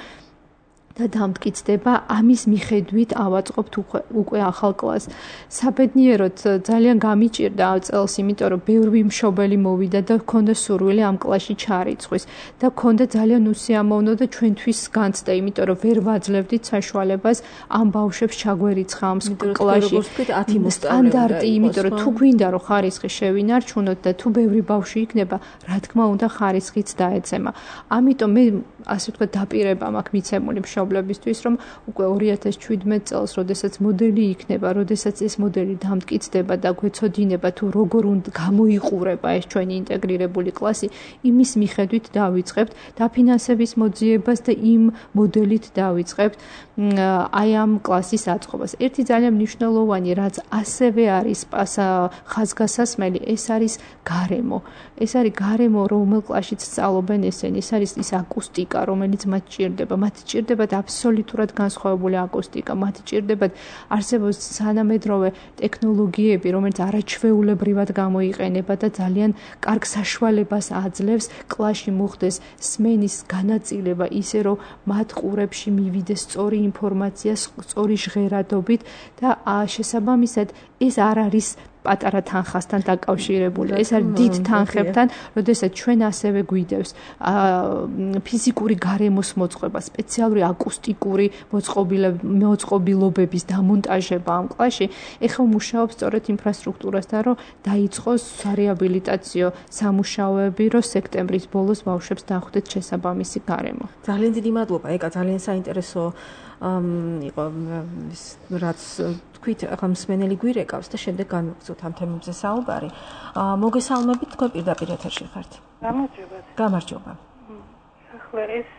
C: და დამტკიცდება ამის მიხედვით ავაწყობთ უკვე ახალ კლასს. საბედნიეროდ ძალიან გამიჭირდა ამ წელს, იმიტომ რომ ბევრი მშობელი მოვიდა და ჰქონდა სურვილი ამ კლასში ჩარიცხვის და ჰქონდა ძალიან უსიამოვნო და ჩვენთვის განცდა, იმიტომ რომ ვერ ვაძლევდით საშუალებას ამ ბავშვებს ჩაგვერიცხა ამ კლასში. სტანდარტი, იმიტომ რომ თუ გვინდა რომ ხარისხი შევინარჩუნოთ და თუ ბევრი ბავშვი იქნება, რა თქმა უნდა ხარისხიც დაეცემა. ამიტომ მე ასე ვთქვათ დაპირება მაქვს მიცემული მშობლებისთვის, რომ უკვე ორი ათას ჩვიდმეტ წელს, როდესაც მოდელი იქნება, როდესაც ეს მოდელი დამტკიცდება და გვეცოდინება თუ როგორ უნდა გამოიყურება ეს ჩვენი ინტეგრირებული კლასი, იმის მიხედვით დავიწყებთ დაფინანსების მოძიებას და იმ მოდელით დავიწყებთ აი ამ კლასის აწყობას. ერთი ძალიან მნიშვნელოვანი, რაც ასევე არის ხაზგასასმელი, ეს არის გარემო. ეს არის გარემო, რომელ კლასშიც სწავლობენ ესენი, ეს არის ის აკუსტიკა, რომელიც მათ ჭირდება. მათ ჭირდებათ აბსოლუტურად განსხვავებული აკუსტიკა, მათ ჭირდებათ არსებობს თანამედროვე ტექნოლოგიები, რომელიც არაჩვეულებრივად გამოიყენება და ძალიან კარგ საშუალებას აძლევს კლასში მოხდეს სმენის განაწილება ისე, რომ მათ ყურებში მივიდეს სწორი ინფორმაცია, სწორი ჟღერადობით და შესაბამისად ეს არ არის პატარა თანხასთან დაკავშირებული. ეს არის დიდ თანხებთან, როდესაც ჩვენ ასევე გვიდევს ფიზიკური გარემოს მოწყობა, სპეციალური აკუსტიკური მოწყობილობების დამონტაჟება ამ კლასში. ეხლა მუშაობს სწორედ ინფრასტრუქტურასთან, რომ დაიწყოს სარეაბილიტაციო სამუშაოები, რომ სექტემბრის ბოლოს ბავშვებს დახვდეთ შესაბამისი გარემო.
B: ძალიან დიდი მადლობა, ეკა, ძალიან საინტერესო იყო რაც თქვით, ახლა მსმენელი გვირეკავს და შემდეგ განვაგრძოთ ამ თემებზე საუბარი. მოგესალმებით, თქვენ პირდაპირ ეთერში ხართ.
E: გამარჯობა.
B: გამარჯობა.
E: ახლა ეს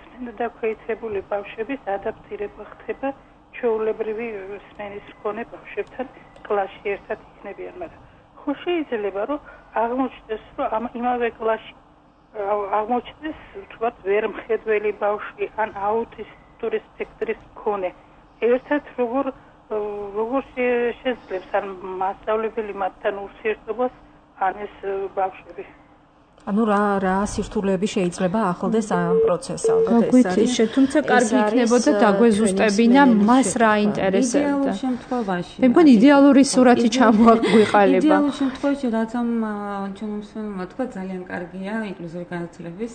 E: სმენოდაქვეითებული ბავშვების ადაპტირება ხდება ჩვეულებრივი სმენის მქონე ბავშვებთან კლასში ერთად იქნებიან, მაგრამ ხო შეიძლება რომ აღმოჩნდეს, რომ ამ იმავე კლასში აღმოჩნდეს თქვათ ვერმხედველი ბავშვი ან აუტისტური სპექტრის მქონე. ერთად როგორ როგორ შეძლებს ან მასწავლებელი მათთან ურთიერთობას ან ეს ბავშვები.
B: ანუ რა რა სირთულეები შეიძლება ახლდეს ამ პროცესს, ალბათ
C: ეს არის. თუმცა კარგი იქნებოდა დაგვეზუსტებინა მას რა ინტერესებდა.
D: იდეალურ შემთხვევაში.
C: მე მგონი იდეალური სურათი ჩამოაგვიყალება.
D: იდეალურ შემთხვევაში რაც ამ ჩვენ მსმენელმა თქვა ძალიან კარგია ინკლუზიური განათლების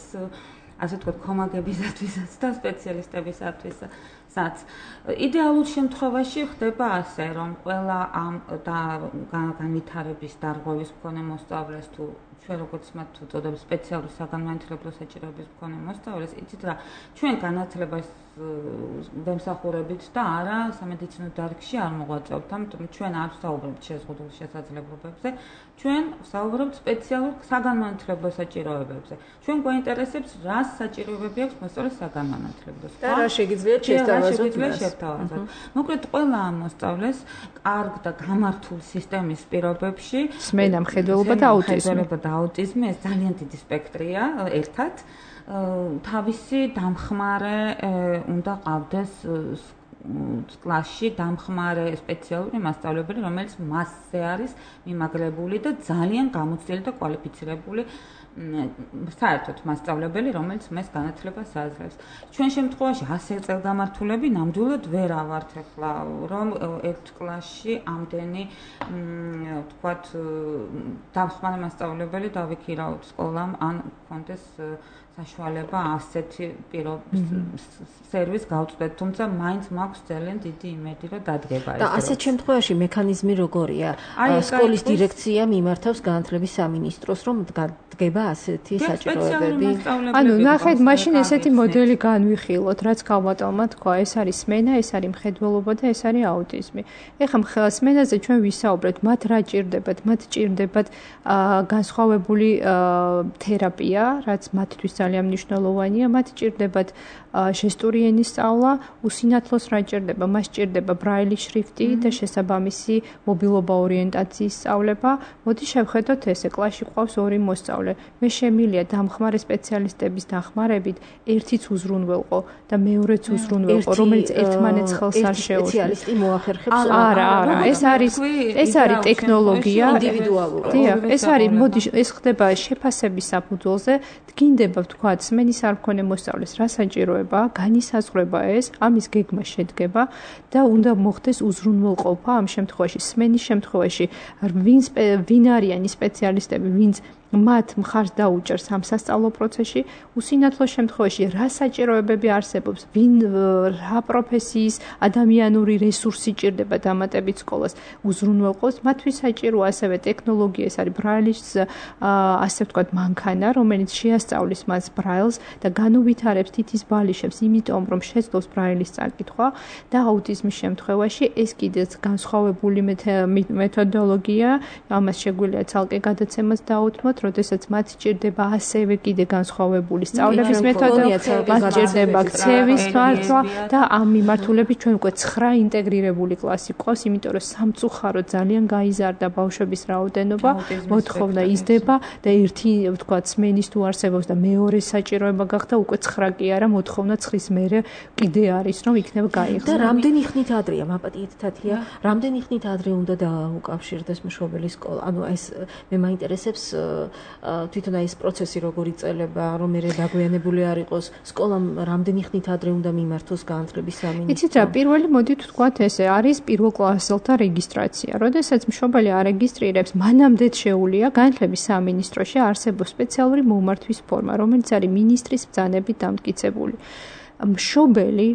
D: ასე ვთქვათ, კომაგებისათვისაც და სპეციალისტებისათვისაც. იდეალურ შემთხვევაში ხდება ასე, რომ ყველა ამ განვითარების დარღვევის მქონე მოსწავლეს თუ ჩვენ როგორც მათ უწოდებს სპეციალური საგანმანათლებლო საჭიროების მქონე მოსწავლეს, იცით რა, ჩვენ განათლებას ვემსახურებით და არა სამედიცინო დარგში არ მოღვაწეობთ, ამიტომ ჩვენ არ ვსაუბრობთ შეზღუდულ შესაძლებლობებზე, ჩვენ ვსაუბრობთ სპეციალურ საგანმანათლებლო საჭიროებებზე. ჩვენ გვაინტერესებს რა საჭიროებები აქვს მოსწავლეს საგანმანათლებლოს.
B: და რა შეგიძლიათ
D: შევთავაზოთ. მოკლედ ყველა ამ მოსწავლეს კარგ და გამართულ სისტემის პირობებში
C: სმენა, მხედველობა და აუტიზმი.
D: აუტიზმი ეს ძალიან დიდი სპექტრია ერთად. თავისი დამხმარე უნდა ყავდეს კლასში დამხმარე სპეციალური მასწავლებელი, რომელიც მასზე არის მიმაგრებული და ძალიან გამოცდილი და კვალიფიცირებული საერთოდ მასწავლებელი, რომელიც მას განათლებას აძლევს. ჩვენ შემთხვევაში ასე წელგამართულები ნამდვილად ვერ ავართ ახლა, რომ ერთ კლასში ამდენი ვთქვათ დამხმარე მასწავლებელი დავიქირავთ სკოლამ ან კონდეს საშუალება ასეთი სერვის გავწვდეთ, თუმცა მაინც მაქვს ძალიან დიდი იმედი, რომ დადგება ეს.
B: და ასეთ შემთხვევაში მექანიზმი როგორია? სკოლის დირექცია მიმართავს განათლების სამინისტროს, რომ დგება ასეთი საჭიროებები.
C: ანუ ნახეთ, მაშინ ესეთი მოდელი განვიხილოთ, რაც გავმატალმა თქვა, ეს არის სმენა, ეს არის მხედველობა და ეს არის აუტიზმი. ეხლა სმენაზე ჩვენ ვისაუბრეთ, მათ რა ჭირდებათ? მათ ჭირდებათ განსხვავებული თერაპია, რაც მათთვის ძალიან მნიშვნელოვანია, მათ ჭირდებათ ჟესტური ენის სწავლა, უსინათლოს რა ჭირდება, მას ჭირდება ბრაილის შრიფტი და შესაბამისი მობილობა ორიენტაციის სწავლება. მოდი შევხედოთ ესე, კლასში ყავს ორი მოსწავლე. მე შემილია დამხმარე სპეციალისტების დახმარებით ერთიც უზრუნველყო და მეორეც უზრუნველყო, რომელიც ერთმანეთს ხელს არ შეუძლებს.
B: სპეციალისტი მოახერხებს.
C: არა, არა, ეს არის ეს არის ტექნოლოგია
B: ინდივიდუალურად.
C: დიახ, ეს არის, მოდი ეს ხდება შეფასების საფუძველზე, დგინდება ვთქვათ, სმენის არ მქონე მოსწავლეს რა საჭიროება, განისაზღვრება ეს, ამის გეგმა შედგება და უნდა მოხდეს უზრუნველყოფა ამ შემთხვევაში, სმენის შემთხვევაში, ვინ ვინ არიან ის სპეციალისტები, ვინც მათ მხარს დაუჭერს ამ სასწავლო პროცესში, უსინათლოს შემთხვევაში რა საჭიროებები არსებობს, ვინ რა პროფესიის ადამიანური რესურსი ჭირდება დამატებით სკოლას უზრუნველყოფს, მათთვის საჭიროა ასევე ტექნოლოგია, ეს არის ბრაილის ასე ვთქვათ მანქანა, რომელიც შეასწავლის მას ბრაილს და განუვითარებს თითის ბალიშებს, იმიტომ რომ შეძლოს ბრაილის წაკითხვა და აუტიზმის შემთხვევაში ეს კიდეც განსხვავებული მეთოდოლოგია, ამას შეგვიძლია ცალკე გადაცემას დაუთმოთ, როდესაც მათ ჭირდება ასევე კიდე განსხვავებული სწავლების მეთოდოლოგია, მათ ჭირდება ქცევის თვალსა და ამ მიმართულებით ჩვენ უკვე ცხრა ინტეგრირებული კლასი გვყავს, იმიტომ რომ სამწუხაროდ ძალიან გაიზარდა ბავშვების რაოდენობა, მოთხოვნა იზრდება და ერთი ვთქვათ სმენის თუ არსებობს და მეორე საჭიროება გახდა უკვე ცხრა კი არა, მოთხოვნა ცხრის მერე კიდე არის, რომ იქნება გაიხსნა.
B: და რამდენი ხნით ადრეა, მაპატიეთ თათია, რამდენი ხნით ადრე უნდა დაუკავშირდეს მშობელი სკოლა? ანუ ეს მე მაინტერესებს თვითონ აი ეს პროცესი როგორ იწყება, რომ მე დაგვიანებული არ იყოს, სკოლამ რამდენი ხნით ადრე უნდა მიმართოს განათლების სამინისტრო?
C: იცით რა, პირველი მოდით ვთქვათ ესე, არის პირველკლასელთა რეგისტრაცია. როდესაც მშობელი არეგისტრირებს, მანამდე შეუძლია განათლების სამინისტროში არსებობს სპეციალური მომართვის ფორმა, რომელიც არის მინისტრის ბრძანებით დამტკიცებული. მშობელი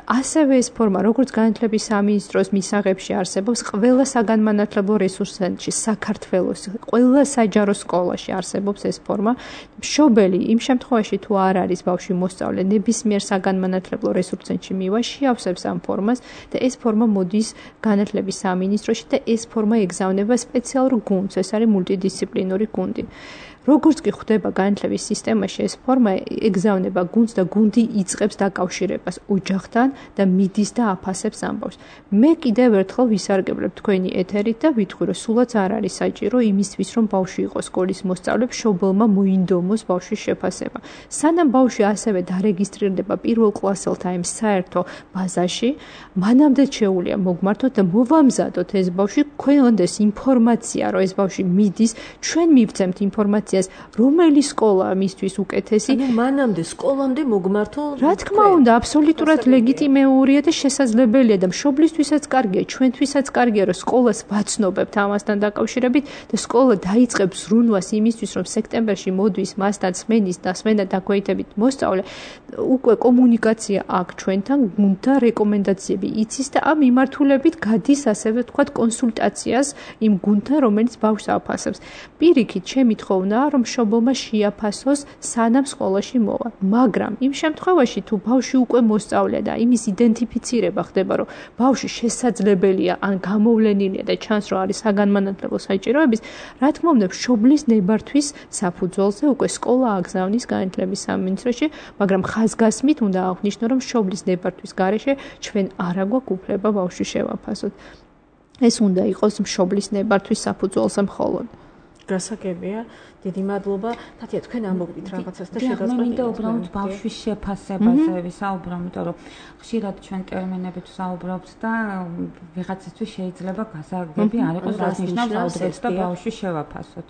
C: ასევე ეს ფორმა, როგორც განათლების სამინისტროს მისაღებში არსებობს, ყველა საგანმანათლებლო რესურს ცენტრში, საქართველოს ყველა საჯარო სკოლაში არსებობს ეს ფორმა. მშობელი იმ შემთხვევაში თუ არ არის ბავშვი მოსწავლე, ნებისმიერ საგანმანათლებლო რესურს ცენტრში მივა, შეავსებს ამ ფორმას და ეს ფორმა მოდის განათლების სამინისტროში და ეს ფორმა ეგზავნება სპეციალურ გუნდს, ეს არის მულტიდისციპლინური გუნდი. როგორც კი ხდება განათლების სისტემაში ეს ფორმა ეგზავნება გუნდს და გუნდი იწყებს დაკავშირებას ოჯახთან და მიდის და აფასებს ამბავს. მე კიდევ ერთხელ ვისარგებლებ თქვენი ეთერით და ვიტყვი, რომ სულაც არ არის საჭირო იმისთვის, რომ ბავშვი იყოს სკოლის მოსწავლე, მშობელმა მოინდომოს ბავშვის შეფასება. სანამ ბავშვი ასევე დარეგისტრირდება პირველკლასელთა იმ საერთო ბაზაში, მანამდე შეუძლია მოგმართოთ და მოვამზადოთ ეს ბავშვი, გვქონდეს ინფორმაცია, რომ ეს ბავშვი მიდის, ჩვენ მივცემთ ინფორმაციას, რომელი სკოლა მისთვის უკეთესი.
B: ანუ მანამდე სკოლამდე მოგმართო?
C: რა თქმა უნდა, აბსოლუტურად ლეგიტიმურია და შესაძლებელია და მშობლისთვისაც კარგია, ჩვენთვისაც კარგია, რომ სკოლას ვაცნობებთ ამასთან დაკავშირებით და სკოლა დაიწყებს ზრუნვას იმისთვის, რომ სექტემბერში მოდის მასთან სმენის და სმენა დაქვეითებით მოსწავლე, უკვე კომუნიკაცია აქვს ჩვენთან, გუნდთან რეკომენდაციები იცის და ამ მიმართულებით გადის ასევე ვთქვათ კონსულტაციას იმ გუნდთან, რომელიც ბავშვს აფასებს. პირიქით ჩემი თხოვნა რომ მშობელმა შეაფასოს სანამ სკოლაში მოვა. მაგრამ იმ შემთხვევაში თუ ბავშვი უკვე მოსწავლეა და იმის იდენტიფიცირება ხდება, რომ ბავშვი შესაძლებელია ან გამოვლენილია და ჩანს რომ არის საგანმანათლებლო საჭიროების, რა თქმა უნდა მშობლის ნებართვის საფუძველზე უკვე სკოლა აგზავნის განათლების სამინისტროში, მაგრამ ხაზგასმით უნდა აღვნიშნო, რომ მშობლის ნებართვის გარეშე ჩვენ არა გვაქვს უფლება ბავშვი შევაფასოთ. ეს უნდა იყოს მშობლის ნებართვის საფუძველზე მხოლოდ.
B: გასაგებია, დიდი მადლობა. თათია, თქვენ ამბობთ რაღაცას და შეგაწყობთ.
D: მე მინდა უბრალოდ ბავშვის შეფასებაზე ვისაუბრო, იმიტომ რომ ხშირად ჩვენ ტერმინებით ვსაუბრობთ და ვიღაცისთვის შეიძლება გასაგები არ იყოს, რაც ნიშნავს აუდიტორს და ბავშვის შევაფასოთ.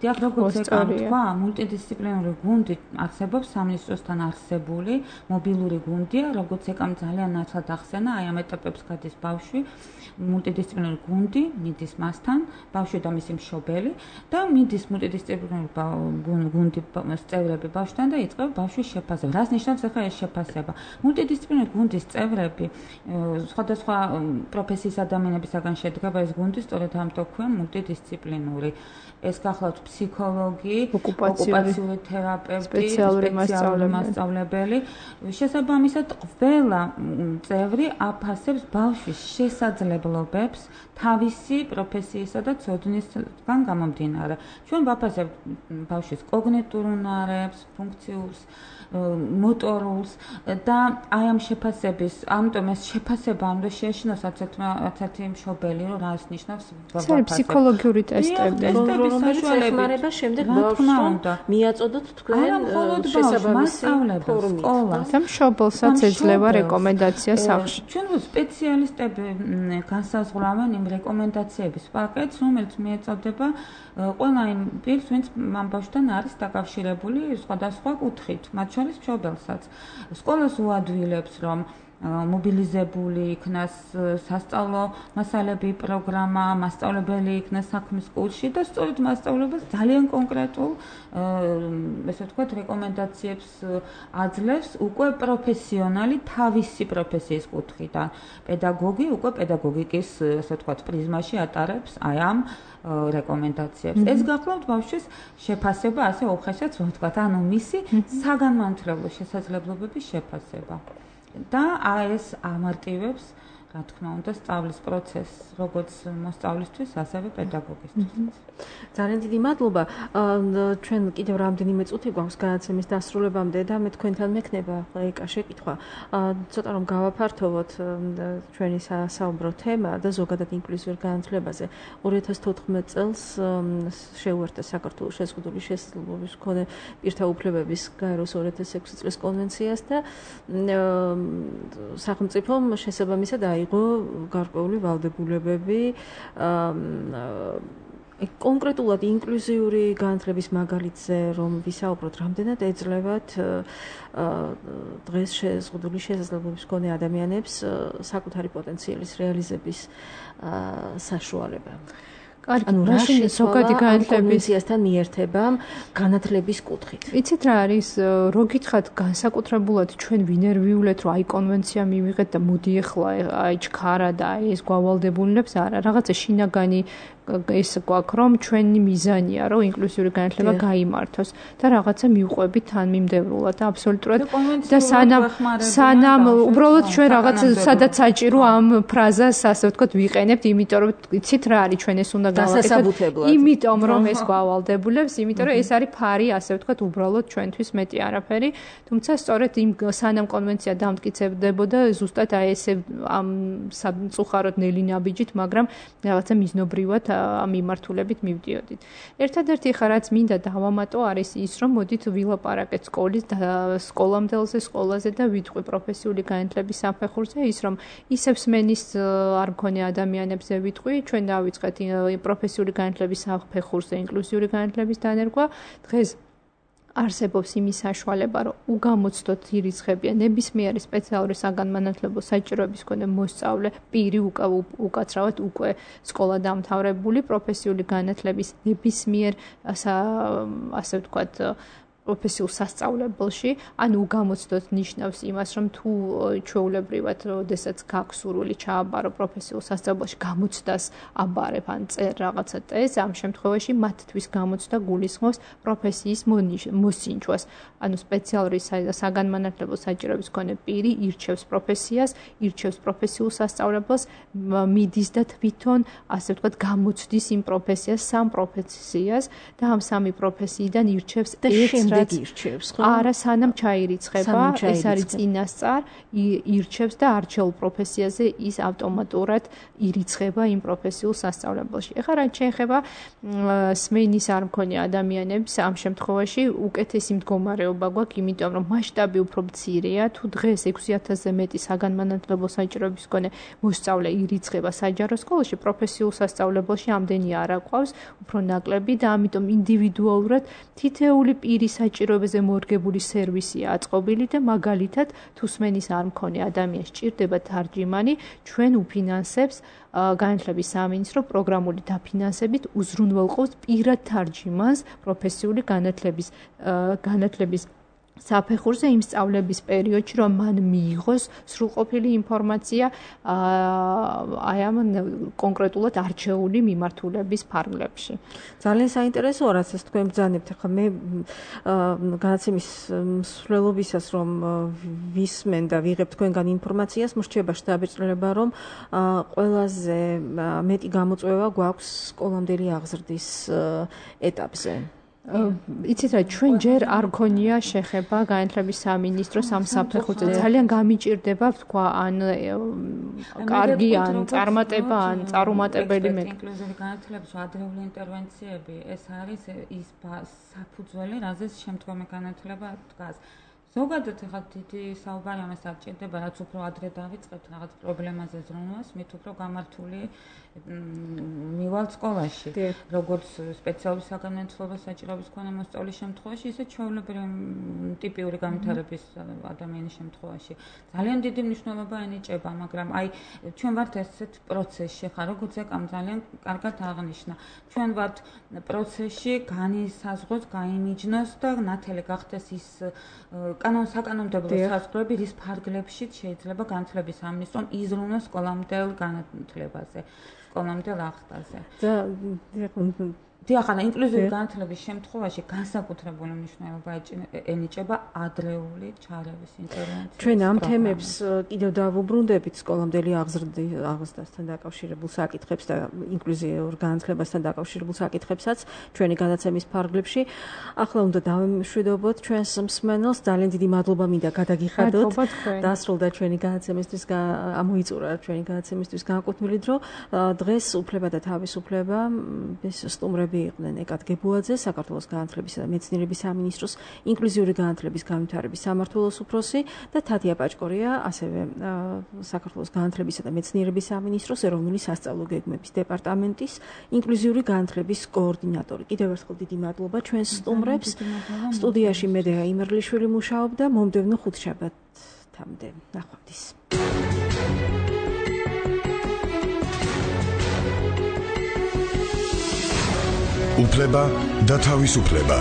D: დიახ, როგორც ეკა, მულტიდისციპლინური გუნდი არსებობს სამინისტროსთან არსებული მობილური გუნდია, როგორც ეკა ძალიან ნაცვლად ახსენა, აი ამ ეტაპებს გადის ბავშვი, მულტიდისციპლინური გუნდი მიდის მასთან, ბავშვი და მისი მშობელი და მიდის მულტიდისციპლინური გუნდი წევრები ბავშვთან და იწყება ბავშვის შეფასება. რას ნიშნავს ახლა ეს შეფასება? მულტიდისციპლინური გუნდის წევრები სხვადასხვა პროფესიის ადამიანებისაგან შედგება ეს გუნდი, სწორედ ამიტომ ქვია მულტიდისციპლინური. ეს გახლავთ ფსიქოლოგი, ოკუპაციური თერაპევტი, სპეციალური მასწავლებელი. შესაბამისად, ყველა წევრი აფასებს ბავშვის შესაძლებლობებს თავისი პროფესიისა და ცოდნისგან გამომდინარე. ჩვენ ვაფასებთ ბავშვის კოგნიტურ უნარებს, ფუნქციურს, მოტორულს და აი ამ შეფასების, ამიტომ ეს შეფასება უნდა შეეშინოს ერთ-ერთი მშობელი, რომ რას ნიშნავს
C: ბავშვი. ფსიქოლოგიური ტესტები,
B: რომელიც ეხმარება შემდეგ ბავშვს მიაწოდოთ თქვენ შესაბამისი ფორუმით.
C: და მშობელსაც ეძლევა რეკომენდაცია სახლში.
D: ჩვენ სპეციალისტები განსაზღვრავენ იმ რეკომენდაციების პაკეტს, რომელიც მიეწოდება ყველა იმ პირს, ვინც ამ ბავშვთან არის დაკავშირებული სხვადასხვა კუთხით, მათ შორის მშობელსაც. სკოლას უადვილებს, რომ მობილიზებული იქნას სასწავლო მასალები, პროგრამა, მასწავლებელი იქნას საქმის კურსში და სწორედ მასწავლებლებს ძალიან კონკრეტულ ესე ვთქვათ რეკომენდაციებს აძლევს უკვე პროფესიონალი თავისი პროფესიის კუთხიდან. პედაგოგი უკვე პედაგოგიკის ესე ვთქვათ პრიზმაში ატარებს აი ამ რეკომენდაციებს. ეს გახლავთ ბავშვის შეფასება, ასე უხეშად ვთქვათ, ანუ მისი საგანმანათლებლო შესაძლებლობების შეფასება. და აი ეს ამარტივებს, რა თქმა უნდა, სწავლის პროცესს, როგორც მოსწავლისთვის, ასევე პედაგოგისთვის.
B: ძალიან დიდი მადლობა. ჩვენ კიდევ რამდენიმე წუთი გვაქვს განაცემის დასრულებამდე და მე თქვენთან მექნება ახლა ეკა შეკითხვა. ცოტა რომ გავაფართოვოთ ჩვენი საუბრო თემა და ზოგადად ინკლუზიურ განათლებაზე. ორი ათას თოთხმეტ წელს შეუერთდა საქართველოს შეზღუდული შესაძლებლობის მქონე პირთა უფლებების გაეროს ორი ათას ექვსი წლის კონვენციას და სახელმწიფომ შესაბამისად აიღო გარკვეული ვალდებულებები კონკრეტულად ინკლუზიური განათლების მაგალითზე რომ ვისაუბროთ, რამდენად ეძლევათ დღეს შეზღუდული შესაძლებლობის მქონე ადამიანებს საკუთარი პოტენციალის რეალიზების საშუალება.
C: ანუ რაში ზოგადი
B: განათლებისთან მიერთება განათლების კუთხით.
C: იცით რა არის, რო გითხრათ განსაკუთრებულად ჩვენ ვინერვიულეთ, რომ აი კონვენცია მივიღეთ და მოდი ახლა აი ჩქარა და აი ეს გვავალდებულებს არა, რაღაცა შინაგანი ეს გვაქვს, რომ ჩვენი მიზანია, რომ ინკლუზიური განათლება გაიმართოს და რაღაცა მივყვებით თანმიმდევრულად და აბსოლუტურად და სანამ სანამ უბრალოდ ჩვენ რაღაც სადაც საჭირო ამ ფრაზას ასე ვთქვათ ვიყენებთ, იმიტომ რომ იცით რა არის ჩვენ ეს უნდა
B: დასასაბუთებლად.
C: იმიტომ რომ ეს გვავალდებულებს, იმიტომ რომ ეს არის ფარი, ასე ვთქვათ, უბრალოდ ჩვენთვის მეტი არაფერი, თუმცა სწორედ იმ სანამ კონვენცია დამტკიცებდებოდა, ზუსტად აი ესე ამ სამწუხაროდ ნელი ნაბიჯით, მაგრამ რაღაცა მიზნობრივად ამ მიმართულებით მივდიოდით. ერთადერთი ხა რაც მინდა დავამატო არის ის, რომ მოდით ვილაპარაკეთ სკოლის და სკოლამდელზე, სკოლაზე და ვიტყვი პროფესიული განათლების საფეხურზე ის, რომ ისევ სმენის არ მქონე ადამიანებზე ვიტყვი, ჩვენ დავიწყეთ პროფესიული განათლების საფეხურზე ინკლუზიური განათლების დანერგვა. დღეს არსებობს იმის საშუალება, რომ უგამოცდოთ ირიცხებიან ნებისმიერი სპეციალური საგანმანათლებლო საჭიროების მქონე მოსწავლე, პირი უკაცრავად უკვე სკოლა დამთავრებული პროფესიული განათლების ნებისმიერ ასე ვთქვათ პროფესიულ სასწავლებელში, ანუ უგამოცდოთ ნიშნავს იმას, რომ თუ ჩვეულებრივად, როდესაც გაქვს სურვილი ჩააბარო პროფესიულ სასწავლებელში, გამოცდას აბარებ ან წერ რაღაცა ტესტს, ამ შემთხვევაში მათთვის გამოცდა გულისხმობს პროფესიის მოსინჯვას. ანუ სპეციალური საგანმანათლებლო საჭიროების მქონე პირი ირჩევს პროფესიას, ირჩევს პროფესიულ სასწავლებელს, მიდის და თვითონ, ასე ვთქვათ, გამოცდის იმ პროფესიას, სამ პროფესიას და ამ სამი პროფესიიდან ირჩევს ერთს
B: ირჩევს, ხო?
C: არა, სანამ ჩაირიცხება, ეს არის წინასწარ, ირჩევს და არჩეულ პროფესიაზე ის ავტომატურად ირიცხება იმ პროფესიულ სასწავლებელში. ეხლა რაც შეეხება სმენის არ მქონე ადამიანებს, ამ შემთხვევაში უკეთესი მდგომარეობა გვაქვს, იმიტომ რომ მასშტაბი უფრო მცირეა, თუ დღეს ექვსი ათასზე მეტი საგანმანათლებლო საჭიროების მქონე მოსწავლე ირიცხება საჯარო სკოლაში, პროფესიულ სასწავლებელში ამდენი არ აყვავს, უფრო ნაკლები და ამიტომ ინდივიდუალურად თითეული პირის საჭიროებაზე მორგებული სერვისია აწყობილი და მაგალითად თუ სმენის არ მქონე ადამიანს ჭირდება თარჯიმანი, ჩვენ უფინანსებს განათლების სამინისტრო პროგრამული დაფინანსებით უზრუნველყოფს პირად თარჯიმანს პროფესიული განათლების განათლების საფეხურზე იმ სწავლების პერიოდში, რომ მან მიიღოს სრულყოფილი ინფორმაცია აი ამ კონკრეტულად არჩეული მიმართულების ფარგლებში.
B: ძალიან საინტერესოა, რაც ეს თქვენ ბრძანებთ. ახლა მე განაცემის მსვლელობისას რომ ვისმენ და ვიღებ თქვენგან ინფორმაციას, მრჩება შთაბეჭდილება, რომ ყველაზე მეტი გამოწვევა გვაქვს სკოლამდელი აღზრდის ეტაპზე.
C: იცით რა, ჩვენ ჯერ არ გქონია შეხება განათლების სამინისტროს ამ საფეხურზე. ძალიან გამიჭირდება თქვა ან კარგი ან წარმატება ან წარუმატებელი მე.
D: ინკლუზიური განათლების ადრეული ინტერვენციები ეს არის ის საფუძველი, რაზეც შემდგომი განათლება დგას. ზოგადად ახლა დიდი საუბარი ამას არ ჭირდება, რაც უფრო ადრე დავიწყებთ რაღაც პრობლემაზე ზრუნვას, მით უფრო გამართული მივალთ სკოლაში, როგორც სპეციალური საგანმანათლებლო საჭიროების მქონე მოსწავლის შემთხვევაში, ისე ჩვეულებრივი ტიპიური განვითარების ადამიანის შემთხვევაში. ძალიან დიდი მნიშვნელობა ენიჭება, მაგრამ აი ჩვენ ვართ ესეთ პროცესში, ხა როგორც ეკამ ძალიან კარგად აღნიშნა. ჩვენ ვართ პროცესში განისაზღვროს, გაიმიჯნოს და ნათელი გახდეს ის კანონ საკანონმდებლო საზღვრები, რის ფარგლებშიც შეიძლება განათლების სამინისტრომ იზრუნოს სკოლამდელ განათლებაზე, სკოლამდელ ახტაზე.
B: და
D: დიახ, ინკლუზიური განათლების შემთხვევაში განსაკუთრებული მნიშვნელობა ენიჭება ადრეული ჩარევის ინტერვენციის.
B: ჩვენ ამ თემებს კიდევ დავუბრუნდებით სკოლამდელი აღზრდასთან დაკავშირებულ საკითხებს და ინკლუზიურ განათლებასთან დაკავშირებულ საკითხებსაც ჩვენი განაცემის ფარგლებში. ახლა უნდა დავემშვიდობოთ ჩვენს მსმენელს. ძალიან დიდი მადლობა მინდა გადაგიხადოთ. დასრულდა ჩვენი განაცემისთვის, ამოიწურა ჩვენი განაცემისთვის განკუთვნილი დრო. დღეს უფლება და თავისუფლება ეს სტუმრები იყვნენ ეკათ გებუაძე, საქართველოს განათლებისა და მეცნიერების სამინისტროს ინკლუზიური განათლების განვითარების სამმართველოს უფროსი და თათია პაჭკორია, ასევე საქართველოს განათლებისა და მეცნიერების სამინისტროს ეროვნული სასწავლო გეგმების დეპარტამენტის ინკლუზიური განათლების კოორდინატორი. კიდევ ერთხელ დიდი მადლობა ჩვენს სტუმრებს. სტუდიაში მედეა იმერლიშვილი მუშაობდა. მომდევნო ხუთშაბათამდე. ნახვამდის.
A: უფლება და თავისუფლება.